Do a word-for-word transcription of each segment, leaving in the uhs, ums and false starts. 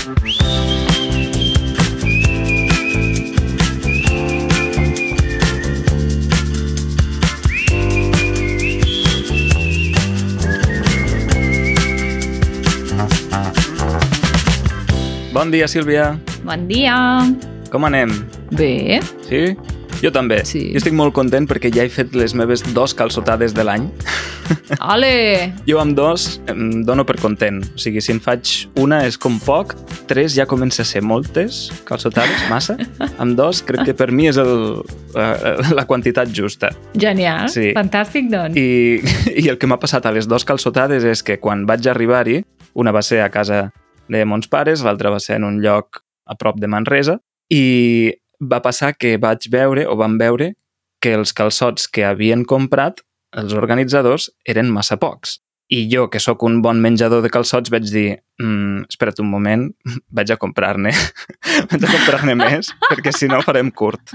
Bon dia, Sílvia. Bon dia. Com anem? Bé. Sí? Jo també. Sí. Jo estic molt content perquè ja he fet les meves dos calçotades de l'any. Ole! Jo amb dos em dono per content. O sigui, si en faig una és com poc, tres ja comença a ser moltes calçotades, massa. Amb dos crec que per mi és el, la, la quantitat justa. Genial. Sí. Fantàstic, doncs. I, I el que m'ha passat a les dos calçotades és que quan vaig arribar-hi, una va ser a casa de mons pares, l'altra va ser en un lloc a prop de Manresa, i va passar que vaig veure, o vam veure, que els calçots que havien comprat els organitzadors eren massa pocs. I jo, que sóc un bon menjador de calçots, vaig dir, mm, espera't un moment, vaig a comprar-ne. vaig a comprar-ne més, perquè si no farem curt.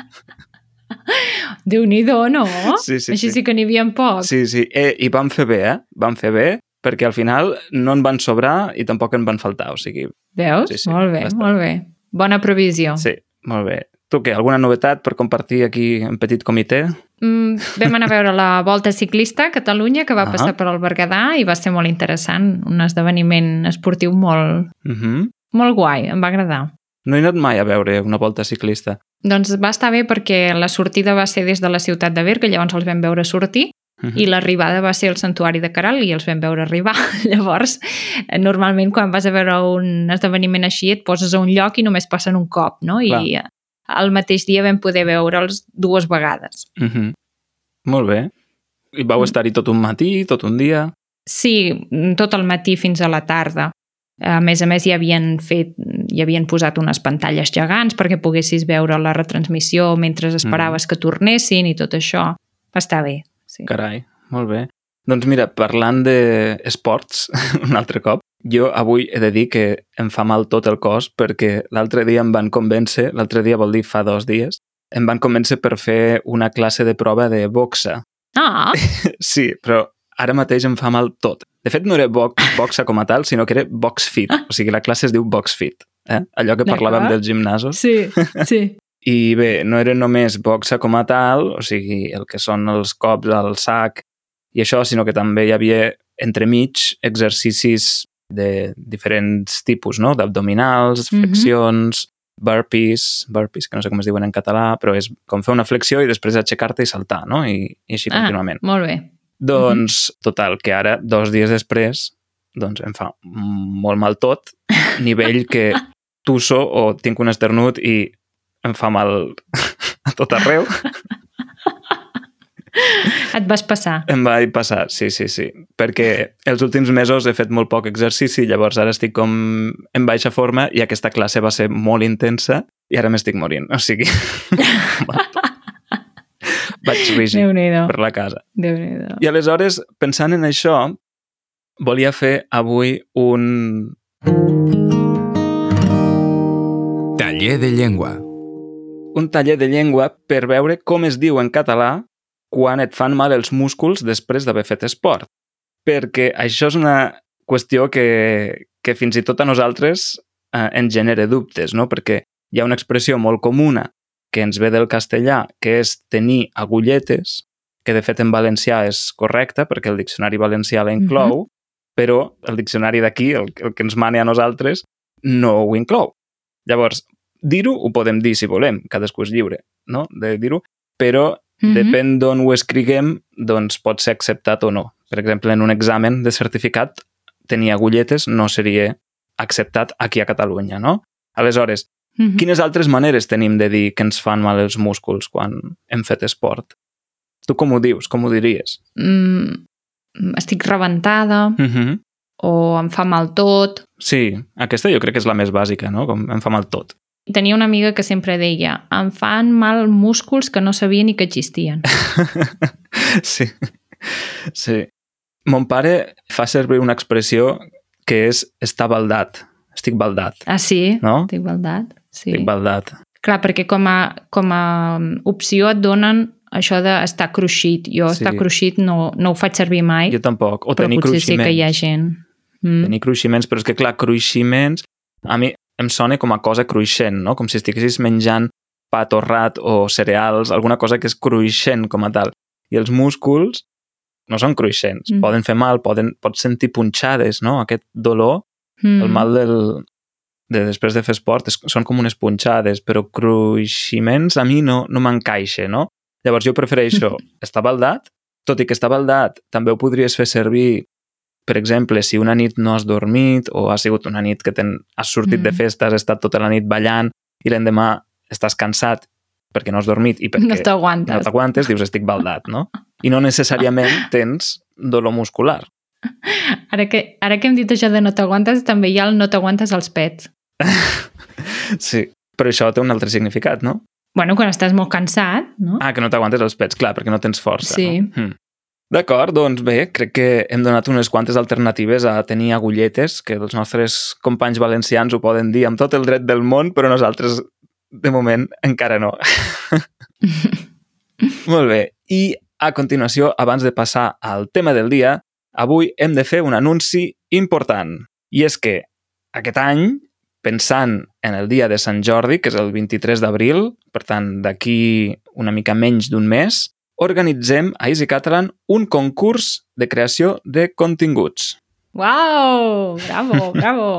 Déu-n'hi-do, no? Sí, sí, Així sí. sí que n'hi havia poc. Sí, sí. Eh, I vam fer bé, eh? Vam fer bé, perquè al final no en van sobrar i tampoc en van faltar, o sigui... Veus? Sí, sí, molt bé, bastant. molt bé. Bona previsió. Sí, molt bé. Tu què, alguna novetat per compartir aquí en petit comitè? Mm, vam anar a veure la Volta Ciclista a Catalunya, que va Ah. passar per al Berguedà, i va ser molt interessant. Un esdeveniment esportiu molt, Uh -huh. molt guai, em va agradar. No he anat mai a veure una volta ciclista. Doncs va estar bé perquè la sortida va ser des de la ciutat de Berga, llavors els vam veure sortir, Uh -huh. i l'arribada va ser al Santuari de Caral i els vam veure arribar. Llavors, normalment quan vas a veure un esdeveniment així et poses a un lloc i només passen un cop, no? I Clar. el mateix dia vam poder veure'ls dues vegades. Uh -huh. Molt bé. I vau estar-hi tot un matí, tot un dia? Sí, tot el matí fins a la tarda. A més a més, hi havien fet, hi havien posat unes pantalles gegants perquè poguessis veure la retransmissió mentre esperaves mm. que tornessin i tot això. Va estar bé. Sí. Carai, molt bé. Doncs mira, parlant d'esports, un altre cop, jo avui he de dir que em fa mal tot el cos perquè l'altre dia em van convèncer, l'altre dia vol dir fa dos dies, em van convèncer per fer una classe de prova de boxa. Ah! Sí, però ara mateix em fa mal tot. De fet, no era bo boxa com a tal, sinó que era box fit. O sigui, la classe es diu box fit. Eh? Allò que parlàvem dels gimnasos. Sí, sí. I bé, no era només boxa com a tal, o sigui, el que són els cops al sac i això, sinó que també hi havia entremig exercicis de diferents tipus, no? D'abdominals, flexions, mm-hmm. burpees, burpees, que no sé com es diuen en català, però és com fer una flexió i després aixecar-te i saltar, no? I, i així ah, contínuament. Molt bé. Doncs, total, que ara, dos dies després, doncs em fa molt mal tot, nivell que tusso o tinc un esternut i em fa mal a tot arreu. Et vas passar. Em vaig passar, sí, sí, sí. Perquè els últims mesos he fet molt poc exercici, llavors ara estic com en baixa forma i aquesta classe va ser molt intensa i ara m'estic morint. O sigui, vaig rígid per la casa. Déu-n'hi-do. I aleshores, pensant en això, volia fer avui un... Taller de llengua. Un taller de llengua per veure com es diu en català quan et fan mal els músculs després d'haver fet esport. Perquè això és una qüestió que, que fins i tot a nosaltres eh, ens genera dubtes, no? Perquè hi ha una expressió molt comuna que ens ve del castellà, que és tenir agulletes, que de fet en valencià és correcta, perquè el diccionari valencià la inclou, uh-huh. però el diccionari d'aquí, el, el que ens mane a nosaltres, no ho inclou. Llavors, dir-ho ho podem dir si volem, cadascú és lliure, no?, de dir-ho, però uh-huh. depèn d'on ho escriguem, doncs pot ser acceptat o no. Per exemple, en un examen de certificat, tenir agulletes no seria acceptat aquí a Catalunya, no? Aleshores, uh-huh. quines altres maneres tenim de dir que ens fan mal els músculs quan hem fet esport? Tu com ho dius? Com ho diries? Mm, estic rebentada, uh-huh. o em fa mal tot. Sí, aquesta jo crec que és la més bàsica, no? Com em fa mal tot. Tenia una amiga que sempre deia em fan mal músculs que no sabia ni que existien. Sí, sí. Mon pare fa servir una expressió que és estar baldat. Estic baldat. Ah, sí? No? Estic baldat. Sí. Estic baldat. Clar, perquè com a, com a opció et donen això d'estar cruixit. Jo Sí. estar cruixit no, no ho faig servir mai, Jo tampoc. O però tenir potser sí cruiximents. que hi ha gent. Mm. Tenir cruiximents, però és que clar, cruiximents... A mi em sona com a cosa cruixent, no? Com si estiguessis menjant pa torrat o cereals, alguna cosa que és cruixent com a tal. I els músculs no són cruixents, mm. poden fer mal, poden, pots sentir punxades, no? Aquest dolor, mm. el mal del, de després de fer esport, és, són com unes punxades, però cruiximents a mi no, no m'encaixa, no? Llavors jo prefereixo estar baldat, tot i que estar baldat també ho podries fer servir, per exemple, si una nit no has dormit o ha sigut una nit que ten, has sortit mm. de festa, has estat tota la nit ballant i l'endemà estàs cansat perquè no has dormit i perquè no t'aguantes, no t'aguantes dius estic baldat, no? I no necessàriament tens dolor muscular. Ara que, ara que hem dit això de no t'aguantes, també hi ha el no t'aguantes als pets. Sí, però això té un altre significat, no? Bueno, quan estàs molt cansat, no? Ah, que no t'aguantes els pets, clar, perquè no tens força, sí. no? Mm. D'acord, doncs bé, crec que hem donat unes quantes alternatives a tenir agulletes, que els nostres companys valencians ho poden dir amb tot el dret del món, però nosaltres, de moment, encara no. Molt bé, i a continuació, abans de passar al tema del dia, avui hem de fer un anunci important. I és que aquest any, pensant en el dia de Sant Jordi, que és el vint-i-tres d'abril, per tant, d'aquí una mica menys d'un mes, organitzem a Easy Catalan un concurs de creació de continguts. Uau! Bravo, bravo!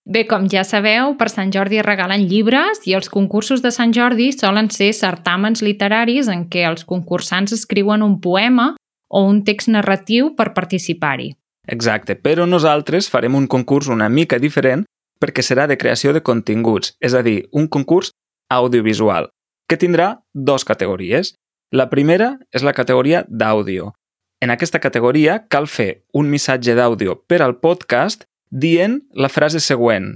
Bé, com ja sabeu, per Sant Jordi es regalen llibres i els concursos de Sant Jordi solen ser certàmens literaris en què els concursants escriuen un poema o un text narratiu per participar-hi. Exacte, però nosaltres farem un concurs una mica diferent perquè serà de creació de continguts, és a dir, un concurs audiovisual, que tindrà dues categories. La primera és la categoria d'àudio. En aquesta categoria cal fer un missatge d'àudio per al podcast dient la frase següent.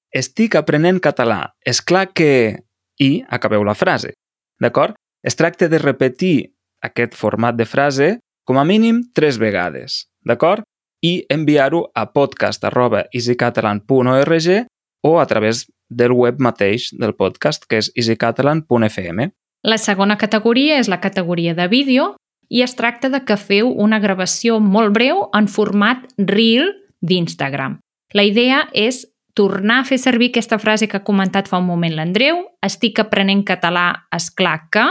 Estic aprenent català. És clar que... I acabeu la frase. D'acord? Es tracta de repetir aquest format de frase com a mínim tres vegades. D'acord? I enviar-ho a podcast arroba easycatalan punt org o a través del web mateix del podcast, que és easycatalan punt f m. La segona categoria és la categoria de vídeo i es tracta de que feu una gravació molt breu en format Reel d'Instagram. La idea és tornar a fer servir aquesta frase que ha comentat fa un moment l'Andreu, estic aprenent català, esclar que,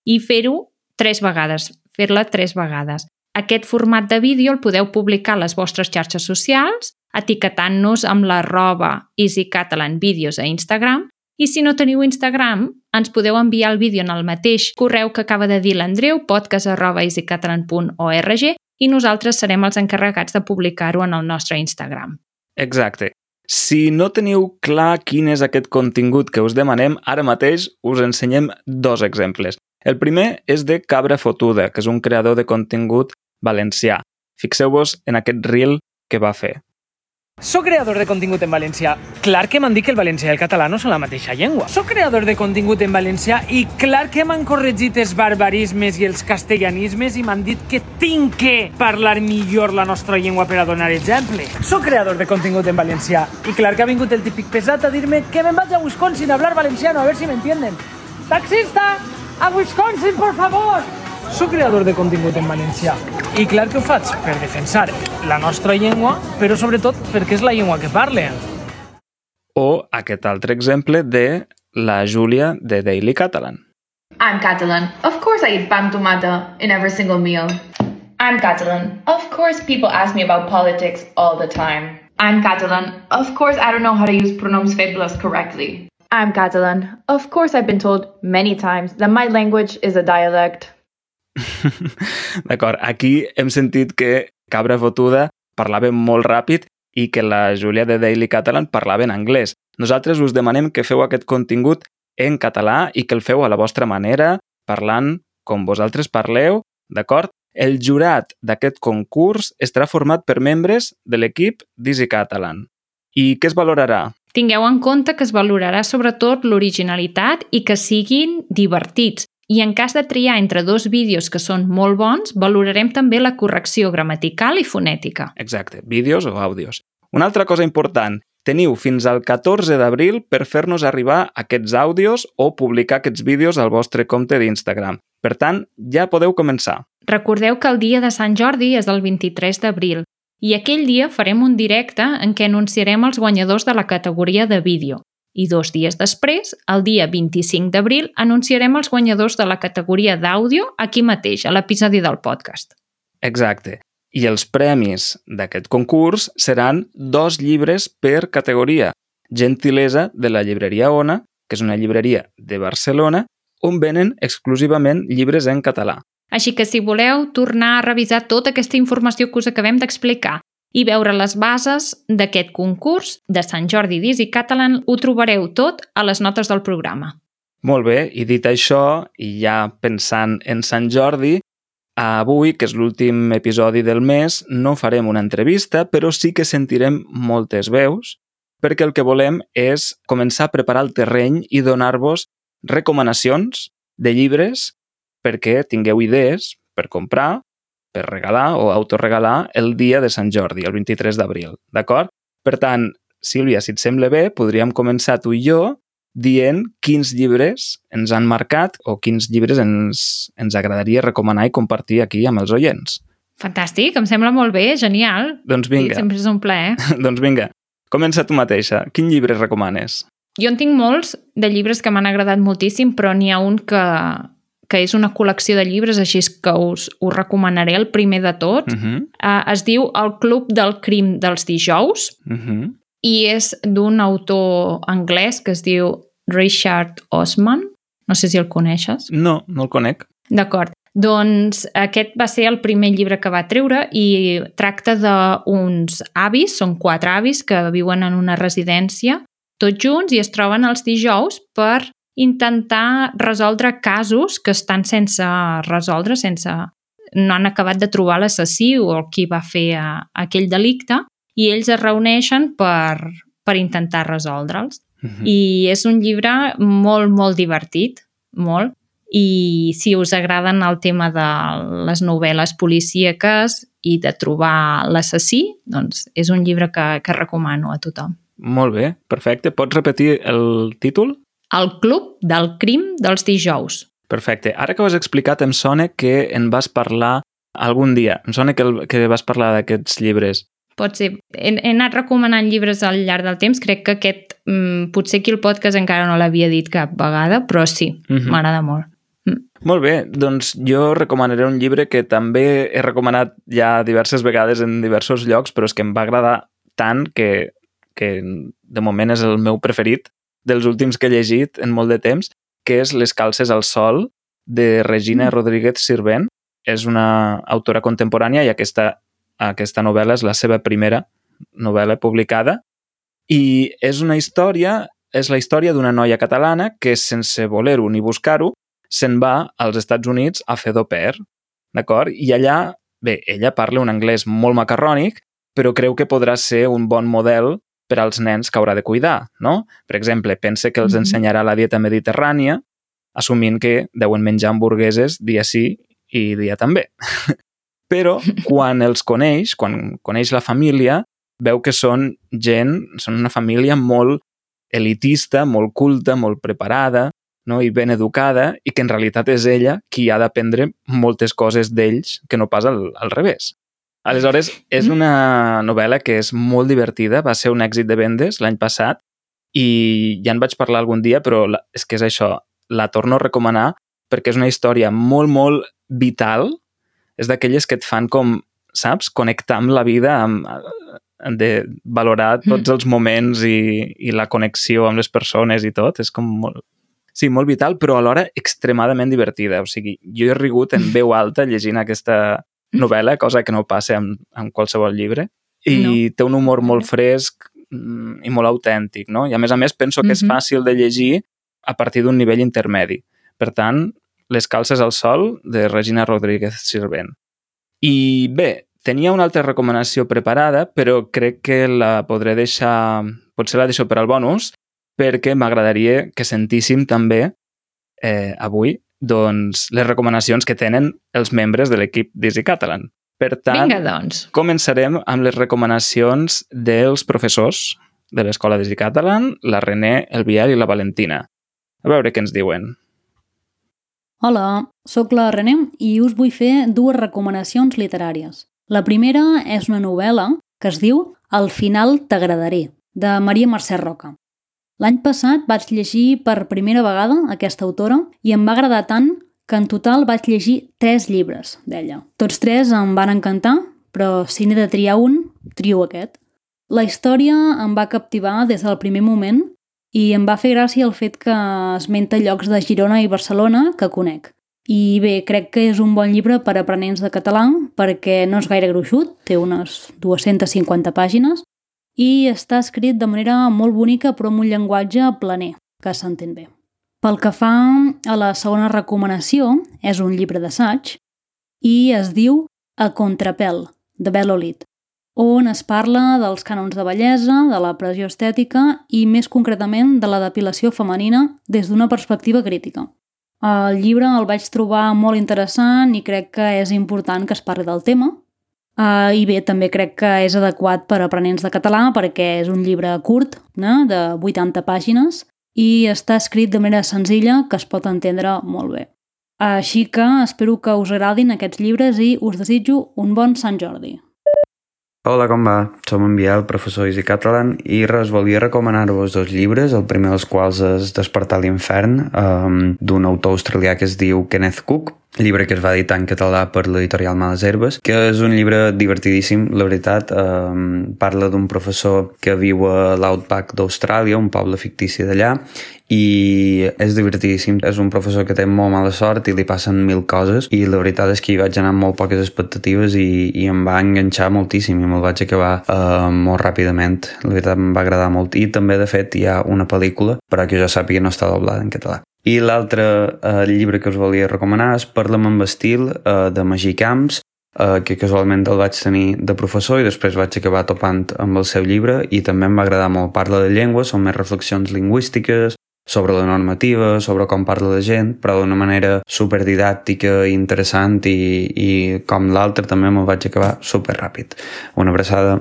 i fer-ho tres vegades, fer-la tres vegades. Aquest format de vídeo el podeu publicar a les vostres xarxes socials, etiquetant-nos amb l'arroba easycatalanvideos a Instagram. I si no teniu Instagram, ens podeu enviar el vídeo en el mateix correu que acaba de dir l'Andreu, podcast arroba easycatalan punt org, i nosaltres serem els encarregats de publicar-ho en el nostre Instagram. Exacte. Si no teniu clar quin és aquest contingut que us demanem, ara mateix us ensenyem dos exemples. El primer és de Cabra Fotuda, que és un creador de contingut valencià. Fixeu-vos en aquest reel que va fer. Soc creador de contingut en valencià. Clar que m'han dit que el valencià i el català no són la mateixa llengua. Soc creador de contingut en valencià i clar que m'han corregit els barbarismes i els castellanismes i m'han dit que tinc que parlar millor la nostra llengua per a donar exemple. Soc creador de contingut en valencià i clar que ha vingut el típic pesat a dir-me que me'n vaig a Wisconsin a hablar valenciano, a ver si me entienden. Taxista, a Wisconsin, por favor! Soc creador de contingut en valencià i clar que ho faig per defensar la nostra llengua, però sobretot perquè és la llengua que parlen. O aquest altre exemple de la Júlia de Daily Catalan. I'm Catalan. Of course I eat pan tomata in every single meal. I'm Catalan. Of course people ask me about politics all the time. I'm Catalan. Of course I don't know how to use pronoms febles correctly. I'm Catalan. Of course I've been told many times that my language is a dialect. D'acord, aquí hem sentit que Cabra Fotuda parlava molt ràpid i que la Júlia de Daily Catalan parlava en anglès. Nosaltres us demanem que feu aquest contingut en català i que el feu a la vostra manera, parlant com vosaltres parleu, d'acord? El jurat d'aquest concurs estarà format per membres de l'equip d'Easy Catalan. I què es valorarà? Tingueu en compte que es valorarà sobretot l'originalitat i que siguin divertits. I en cas de triar entre dos vídeos que són molt bons, valorarem també la correcció gramatical i fonètica. Exacte, vídeos o àudios. Una altra cosa important, teniu fins al catorze d'abril per fer-nos arribar aquests àudios o publicar aquests vídeos al vostre compte d'Instagram. Per tant, ja podeu començar. Recordeu que el dia de Sant Jordi és el vint-i-tres d'abril i aquell dia farem un directe en què anunciarem els guanyadors de la categoria de vídeo. I dos dies després, el dia vint-i-cinc d'abril, anunciarem els guanyadors de la categoria d'àudio aquí mateix, a l'episodi del podcast. Exacte. I els premis d'aquest concurs seran dos llibres per categoria. Gentilesa de la llibreria Ona, que és una llibreria de Barcelona, on venen exclusivament llibres en català. Així que si voleu tornar a revisar tota aquesta informació que us acabem d'explicar i veure les bases d'aquest concurs de Sant Jordi d'Easy Catalan, ho trobareu tot a les notes del programa. Molt bé, i dit això, i ja pensant en Sant Jordi, avui, que és l'últim episodi del mes, no farem una entrevista, però sí que sentirem moltes veus, perquè el que volem és començar a preparar el terreny i donar-vos recomanacions de llibres perquè tingueu idees per comprar, per regalar o autoregalar el dia de Sant Jordi, el vint-i-tres d'abril, d'acord? Per tant, Sílvia, si et sembla bé, podríem començar tu i jo dient quins llibres ens han marcat o quins llibres ens, ens agradaria recomanar i compartir aquí amb els oients. Fantàstic, em sembla molt bé, genial. Doncs vinga. Sí, sempre és un plaer. Doncs vinga, comença tu mateixa. Quin llibre recomanes? Jo en tinc molts de llibres que m'han agradat moltíssim, però n'hi ha un que, que és una col·lecció de llibres, així que us, us recomanaré el primer de tots. Uh-huh. Uh, es diu El Club del Crim dels dijous Uh-huh. i és d'un autor anglès que es diu Richard Osman. No sé si el coneixes. No, no el conec. D'acord. Doncs aquest va ser el primer llibre que va treure i tracta d'uns avis, són quatre avis que viuen en una residència tots junts i es troben els dijous per intentar resoldre casos que estan sense resoldre, sense... no han acabat de trobar l'assassí o el qui va fer a, a aquell delicte i ells es reuneixen per, per intentar resoldre'ls. Uh-huh. I és un llibre molt, molt divertit, molt, i si us agraden el tema de les novel·les policíaques i de trobar l'assassí, doncs és un llibre que, que recomano a tothom. Molt bé, perfecte. Pots repetir el títol? El Club del Crim dels dijous. Perfecte. Ara que ho has explicat, em sona que en vas parlar algun dia. Em sona que, el, que vas parlar d'aquests llibres. Pot ser. He, he anat recomanant llibres al llarg del temps. Crec que aquest, mm, potser aquí el podcast encara no l'havia dit cap vegada, però sí, Uh-huh. m'agrada molt. Mm. Molt bé, doncs jo recomanaré un llibre que també he recomanat ja diverses vegades en diversos llocs, però és que em va agradar tant que, que de moment és el meu preferit dels últims que he llegit en molt de temps, que és Les calces al sol, de Regina Mm. Rodríguez Sirvent. És una autora contemporània i aquesta, aquesta novel·la és la seva primera novel·la publicada. I és una història, és la història d'una noia catalana que, sense voler-ho ni buscar-ho, se'n va als Estats Units a fer d'au pair, d'acord? I allà, bé, ella parla un anglès molt macarrònic, però creu que podrà ser un bon model per als nens que haurà de cuidar, no? Per exemple, pensa que els Mhm. ensenyarà la dieta mediterrània, assumint que deuen menjar hamburgueses dia sí i dia també. Però quan els coneix, quan coneix la família, veu que són gent, són una família molt elitista, molt culta, molt preparada, no? I ben educada, i que en realitat és ella qui ha d'aprendre moltes coses d'ells que no pas al, al revés. Aleshores, és una novel·la que és molt divertida, va ser un èxit de vendes l'any passat i ja en vaig parlar algun dia, però la, és que és això, la torno a recomanar perquè és una història molt, molt vital, és d'aquelles que et fan com, saps, connectar amb la vida, amb, de valorar tots els moments i, i la connexió amb les persones i tot, és com molt... Sí, molt vital, però alhora extremadament divertida. O sigui, jo he rigut en veu alta llegint aquesta novel·la, cosa que no passa amb, amb qualsevol llibre, i No. té un humor molt fresc mm, i molt autèntic, no? I a més a més penso que és Mhm. fàcil de llegir a partir d'un nivell intermedi. Per tant, Les calces al sol, de Regina Rodríguez Sirvent. I bé, tenia una altra recomanació preparada, però crec que la podré deixar... Potser la deixo per al bonus, perquè m'agradaria que sentíssim també eh, avui doncs, les recomanacions que tenen els membres de l'equip d'Easy Catalan. Per tant, Vinga, doncs. començarem amb les recomanacions dels professors de l'Escola d'Easy Catalan, la René, el Biel i la Valentina. A veure què ens diuen. Hola, sóc la René i us vull fer dues recomanacions literàries. La primera és una novel·la que es diu Al final t'agradaré, de Maria Mercè Roca. L'any passat vaig llegir per primera vegada aquesta autora i em va agradar tant que en total vaig llegir tres llibres d'ella. Tots tres em van encantar, però si n'he de triar un, trio aquest. La història em va captivar des del primer moment i em va fer gràcia el fet que esmenta llocs de Girona i Barcelona que conec. I bé, crec que és un bon llibre per a aprenents de català perquè no és gaire gruixut, té unes dues-centes cinquanta pàgines i està escrit de manera molt bonica però amb un llenguatge planer, que s'entén bé. Pel que fa a la segona recomanació, és un llibre d'assaig i es diu A contrapèl, de Bel-Olid, on es parla dels cànons de bellesa, de la pressió estètica i més concretament de la depilació femenina des d'una perspectiva crítica. El llibre el vaig trobar molt interessant i crec que és important que es parli del tema. Uh, I bé, també crec que és adequat per a aprenents de català perquè és un llibre curt, no? De vuitanta pàgines, i està escrit de manera senzilla que es pot entendre molt bé. Així que espero que us agradin aquests llibres i us desitjo un bon Sant Jordi. Hola, com va? Som en Biel, professor d'Easy Catalan, i res, volia recomanar-vos dos llibres, el primer dels quals és Despertar l'infern, um, d'un autor australià que es diu Kenneth Cook, llibre que es va editar en català per l'editorial Males Herbes, que és un llibre divertidíssim, la veritat. Um, parla d'un professor que viu a l'Outback d'Austràlia, un poble fictici d'allà, i és divertidíssim. És un professor que té molt mala sort i li passen mil coses, i la veritat és que hi vaig anar amb molt poques expectatives i, i em va enganxar moltíssim i me'l vaig acabar uh, molt ràpidament. La veritat em va agradar molt, i també de fet hi ha una pel·lícula, però que jo sàpiga no està doblada en català. I l'altre eh, llibre que us volia recomanar és Parla'm amb estil, eh, de Magí Camps, eh, que casualment el vaig tenir de professor i després vaig acabar topant amb el seu llibre i també em va agradar molt. Parla de llengua, són més reflexions lingüístiques, sobre la normativa, sobre com parla la gent, però d'una manera superdidàctica i interessant, i, i com l'altre també me'l vaig acabar superràpid. Una abraçada.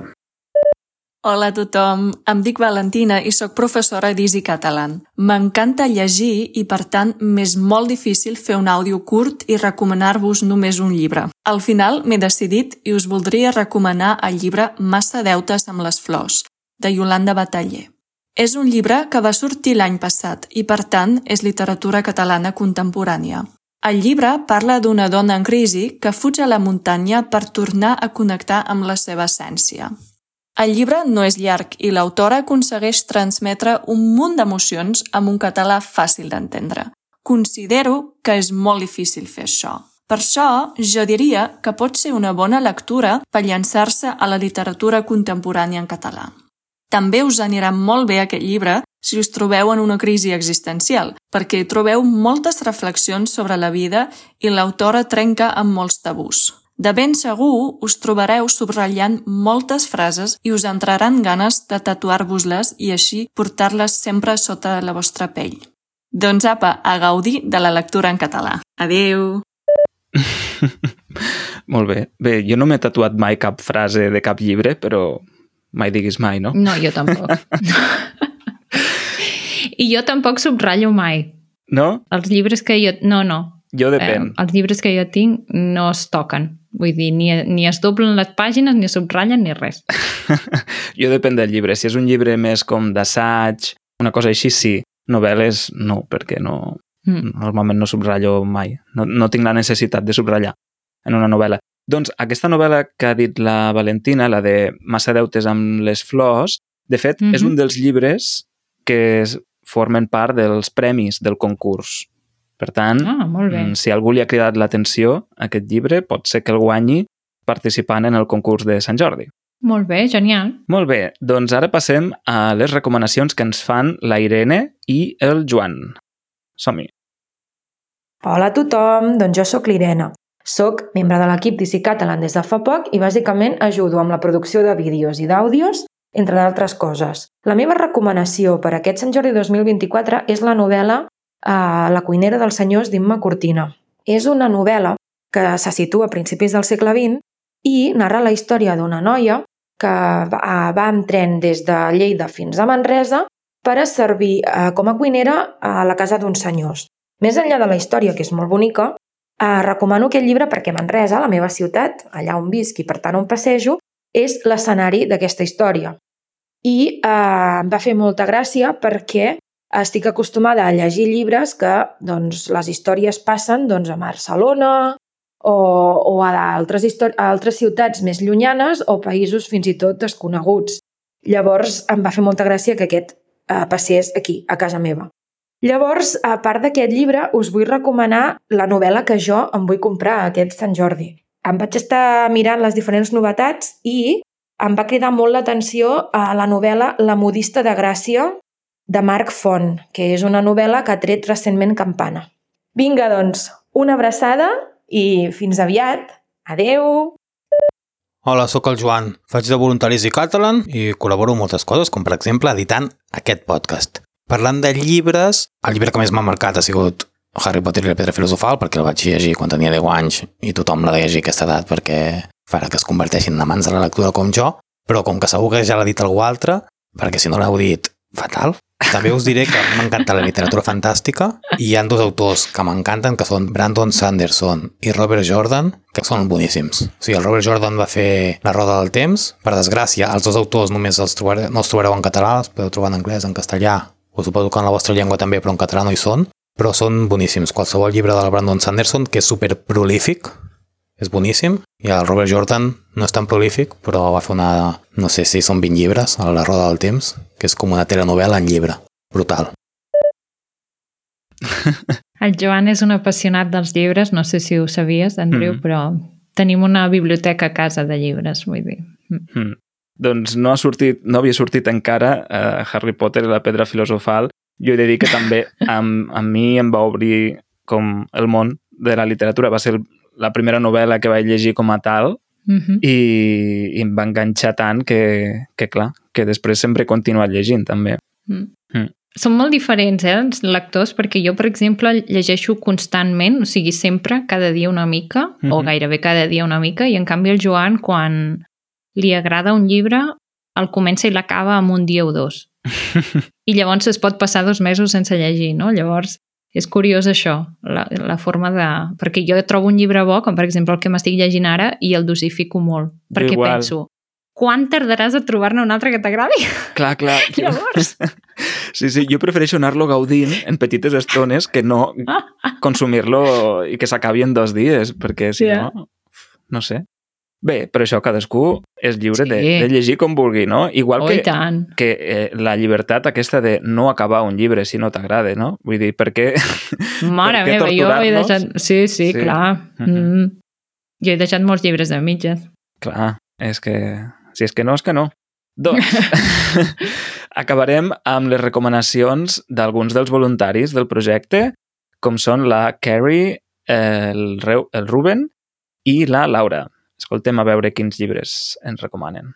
Hola a tothom, em dic Valentina i sóc professora d'Easy Catalan. M'encanta llegir i, per tant, m'és molt difícil fer un àudio curt i recomanar-vos només un llibre. Al final m'he decidit i us voldria recomanar el llibre Massa deutes amb les flors, de Iolanda Bataller. És un llibre que va sortir l'any passat i, per tant, és literatura catalana contemporània. El llibre parla d'una dona en crisi que fuig a la muntanya per tornar a connectar amb la seva essència. El llibre no és llarg i l'autora aconsegueix transmetre un munt d'emocions amb un català fàcil d'entendre. Considero que és molt difícil fer això. Per això, jo diria que pot ser una bona lectura per llançar-se a la literatura contemporània en català. També us anirà molt bé aquest llibre si us trobeu en una crisi existencial, perquè hi trobeu moltes reflexions sobre la vida i l'autora trenca amb molts tabús. De ben segur us trobareu subratllant moltes frases i us entraran ganes de tatuar-vos-les i així portar-les sempre sota la vostra pell. Doncs apa, a gaudir de la lectura en català. Adéu! Molt bé. Bé, jo no m'he tatuat mai cap frase de cap llibre, però mai diguis mai, no? No, jo tampoc. I jo tampoc subratllo mai. No? Els llibres que jo... No, no. Jo depèn. Eh, els llibres que jo tinc no es toquen. Vull dir, ni, ni es doblen les pàgines, ni es subratllen, ni res. Jo depèn del llibre. Si és un llibre més com d'assaig, una cosa així, sí. Novel·les, no, perquè no... Mm. Normalment no subratllo mai. No, no tinc la necessitat de subratllar en una novel·la. Doncs aquesta novel·la que ha dit la Valentina, la de Massa deutes amb les flors, de fet, mm-hmm. és un dels llibres que formen part dels premis del concurs. Per tant, ah, molt bé. Si algú li ha cridat l'atenció a aquest llibre, pot ser que el guanyi participant en el concurs de Sant Jordi. Molt bé, genial. Molt bé, doncs ara passem a les recomanacions que ens fan la Irene i el Joan. Som-hi. Hola a tothom, doncs jo sóc l'Irene. Soc membre de l'equip d'Easy Catalan des de fa poc i bàsicament ajudo amb la producció de vídeos i d'àudios, entre d'altres coses. La meva recomanació per a aquest Sant Jordi dos mil vint-i-quatre és la novel·la a La cuinera dels senyors d'Imma Cortina. És una novel·la que se situa a principis del segle vint i narra la història d'una noia que va amb tren des de Lleida fins a Manresa per a servir com a cuinera a la casa d'uns senyors. Més enllà de la història, que és molt bonica, recomano aquest llibre perquè Manresa, la meva ciutat, allà on visc i per tant on passejo, és l'escenari d'aquesta història. i eh, em va fer molta gràcia perquè estic acostumada a llegir llibres que doncs, les històries passen doncs, a Barcelona o, o a altres, a altres ciutats més llunyanes o països fins i tot desconeguts. Llavors em va fer molta gràcia que aquest eh, passés aquí, a casa meva. Llavors, a part d'aquest llibre, us vull recomanar la novel·la que jo em vull comprar aquest Sant Jordi. Em vaig estar mirant les diferents novetats i em va cridar molt l'atenció a la novel·la La modista de Gràcia, de Marc Font, que és una novel·la que ha tret recentment Campana. Vinga, doncs, una abraçada i fins aviat. Adeu! Hola, sóc el Joan. Faig de voluntari a Easy Catalan i col·laboro en moltes coses, com per exemple editant aquest podcast. Parlant de llibres, el llibre que més m'ha marcat ha sigut Harry Potter i la pedra filosofal, perquè el vaig llegir quan tenia deu anys i tothom l'ha de llegir a aquesta edat perquè farà que es converteixin en amants de la lectura com jo, però com que segur que ja l'ha dit algú altre, perquè si no l'heu dit, fatal. També us diré que m'encanta la literatura fantàstica i hi ha dos autors que m'encanten, que són Brandon Sanderson i Robert Jordan, que són boníssims. O sigui, el Robert Jordan va fer La roda del temps. Per desgràcia, els dos autors només els trobareu, no els trobareu en català, els podeu trobar en anglès, en castellà, o suposo que en la vostra llengua també, però en català no hi són. Però són boníssims. Qualsevol llibre del Brandon Sanderson, que és super prolífic, és boníssim, i el Robert Jordan no és tan prolífic, però va fer una, no sé si són vint llibres, a La roda del temps, que és com una telenovel·la en llibre. Brutal. El Joan és un apassionat dels llibres, no sé si ho sabies, Andreu, mm. però tenim una biblioteca a casa de llibres, vull dir. Mm. Doncs no ha sortit, no havia sortit encara uh, Harry Potter i la pedra filosofal. Jo he de dir que també a, a mi em va obrir com el món de la literatura. Va ser la primera novel·la que vaig llegir com a tal mm-hmm. i, i em va enganxar tant que, que, clar, que després sempre he continuat llegint, també. Mm. Mm. Són molt diferents, eh, els lectors, perquè jo, per exemple, llegeixo constantment, o sigui, sempre, cada dia una mica, mm-hmm. o gairebé cada dia una mica, i en canvi el Joan, quan li agrada un llibre, el comença i l'acaba en un dia o dos. I llavors es pot passar dos mesos sense llegir, no? Llavors és curiós això, la, la forma de... Perquè jo trobo un llibre bo, com per exemple el que m'estic llegint ara, i el dosifico molt. Perquè igual. Penso, quan tardaràs a trobar-ne un altre que t'agradi? Clar, clar. Llavors... Sí, sí, jo prefereixo anar-lo gaudint en petites estones que no consumir-lo i que s'acabi en dos dies, perquè si yeah. no... No sé. Bé, però això cadascú és lliure sí. de, de llegir com vulgui, no? Igual oh, que, que eh, la llibertat aquesta de no acabar un llibre si no t'agrada, no? Vull dir, per què, Mare per què meva, jo he deixat... Sí, sí, sí. clar. Mm-hmm. Mm. Jo he deixat molts llibres de mitges. Clar, és que... Si és que no, és que no. Doncs, acabarem amb les recomanacions d'alguns dels voluntaris del projecte, com són la Carrie, el, el Ruben i la Laura. Escoltem a veure quins llibres ens recomanen.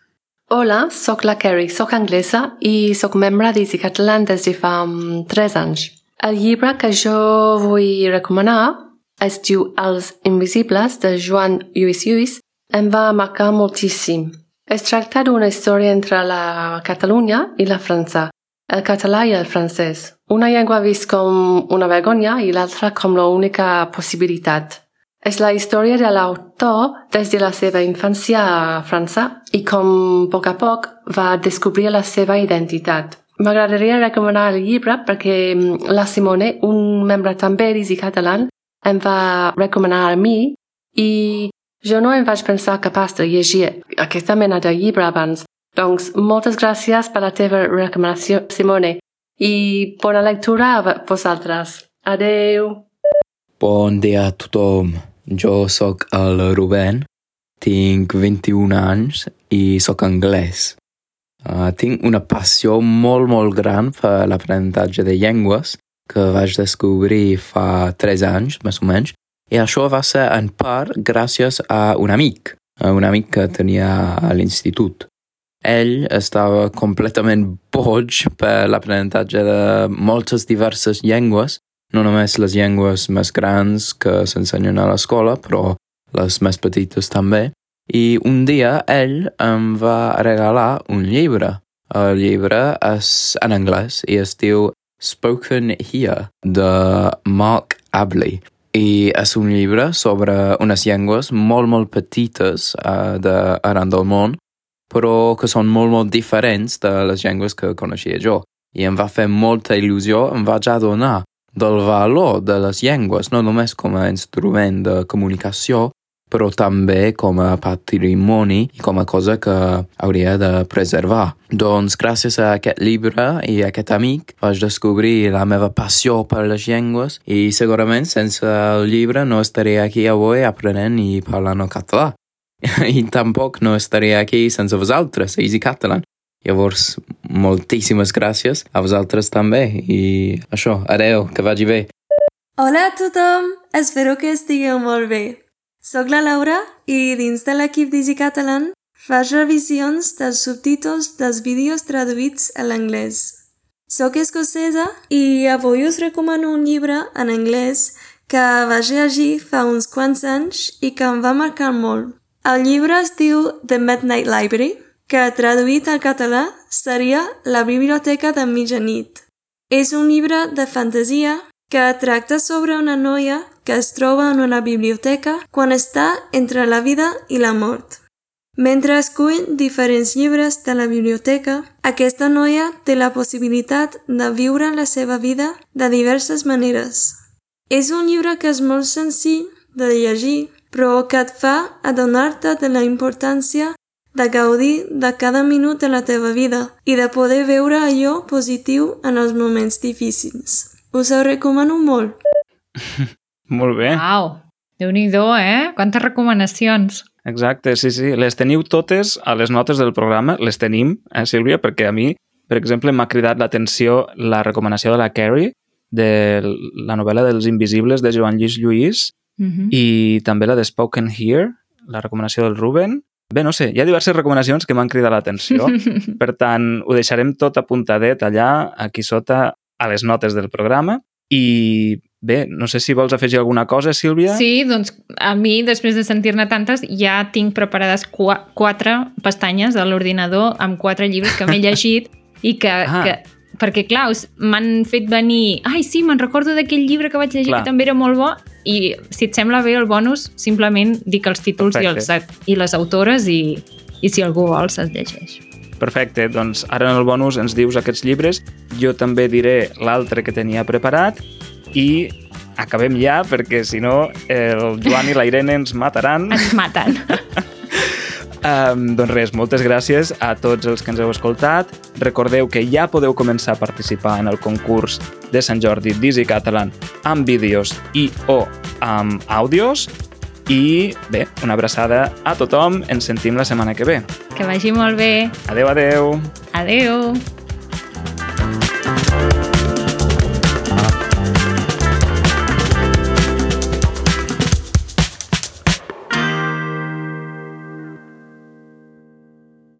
Hola, sóc la Carrie, sóc anglesa i sóc membre d'Easy Catalan des de fa um, tres anys. El llibre que jo vull recomanar es diu Els Invisibles, de Joan Lluís Lluís. Em va marcar moltíssim. Es tracta d'una història entre la Catalunya i la França, el català i el francès. Una llengua vist com una vergonya i l'altra com l'única possibilitat. És la història de l'autor des de la seva infància a França i com a poc a poc va descobrir la seva identitat. M'agradaria recomanar el llibre perquè la Simone, un membre també d'Easy Catalan, em va recomanar a mi i jo no em vaig pensar capaç de llegir aquesta mena de llibre abans. Doncs moltes gràcies per la teva recomanació, Simone, i bona lectura a vosaltres. Adeu! Bon dia a tothom. Jo sóc el Ruben, tinc vint-i-un anys i sóc anglès. Uh, tinc una passió molt, molt gran per l'aprenentatge de llengües que vaig descobrir fa tres anys, més o menys, i això va ser en part gràcies a un amic, a un amic que tenia a l'institut. Ell estava completament boig per l'aprenentatge de moltes diverses llengües, no només les llengües més grans que s'ensenyen a l'escola, però les més petites també. I un dia ell em va regalar un llibre. El llibre és en anglès i es diu Spoken Here, de Mark Abley. I és un llibre sobre unes llengües molt, molt petites uh, d'arran del món però que són molt, molt diferents de les llengües que coneixia jo. I em va fer molta il·lusió, em vaig adonar del valor de les llengües, no només com a instrument de comunicació, però també com a patrimoni i com a cosa que hauria de preservar. Doncs gràcies a aquest llibre i a aquest amic vaig descobrir la meva passió per les llengües i segurament sense el llibre no estaria aquí avui aprenent i parlant el català. I tampoc no estaria aquí sense vosaltres, Easy Catalan. Llavors, moltíssimes gràcies a vosaltres també i això, adeu, que vagi bé. Hola a tothom, espero que estigueu molt bé. Soc la Laura i dins de l'equip d'Easy Catalan faig revisions dels subtítols dels vídeos traduïts a l'anglès. Soc escocesa i avui us recomano un llibre en anglès que vaig llegir fa uns quants anys i que em va marcar molt. El llibre es diu The Midnight Library, que traduït al català seria La biblioteca de mitjanit. És un llibre de fantasia que tracta sobre una noia que es troba en una biblioteca quan està entre la vida i la mort. Mentre escull diferents llibres de la biblioteca, aquesta noia té la possibilitat de viure la seva vida de diverses maneres. És un llibre que és molt senzill de llegir, però que et fa adonar-te de la importància de gaudir de cada minut de la teva vida i de poder veure allò positiu en els moments difícils. Us ho recomano molt. Molt bé. Uau, Déu-n'hi-do, eh? Quantes recomanacions. Exacte, sí, sí. Les teniu totes a les notes del programa, les tenim, eh, Sílvia? Perquè a mi, per exemple, m'ha cridat l'atenció la recomanació de la Carrie, de la novel·la dels Invisibles de Joan Lluís Lluís, Uh-huh. i també la de Spoken Here, la recomanació del Ruben. Bé, no sé, hi ha diverses recomanacions que m'han cridat l'atenció. Per tant, ho deixarem tot apuntadet allà, aquí sota, a les notes del programa. I bé, no sé si vols afegir alguna cosa, Sílvia? Sí, doncs a mi, després de sentir-ne tantes, ja tinc preparades qu- quatre pestanyes de l'ordinador amb quatre llibres que m'he llegit i que... Ah. que perquè, clar, m'han fet venir... Ai, sí, me'n recordo d'aquell llibre que vaig llegir Clar. que també era molt bo. I si et sembla bé el bonus, simplement dic els títols i, els, i les autores i, i si algú vol se'ls llegeix. Perfecte, doncs ara en el bonus ens dius aquests llibres. Jo també diré l'altre que tenia preparat i acabem ja, perquè si no el Joan i la Irene ens mataran. Ens maten. Um, doncs res, moltes gràcies a tots els que ens heu escoltat. Recordeu que ja podeu començar a participar en el concurs de Sant Jordi d'Easy Catalan amb vídeos i o amb àudios. I bé, una abraçada a tothom. Ens sentim la setmana que ve. Que vagi molt bé. Adeu, adeu. Adeu.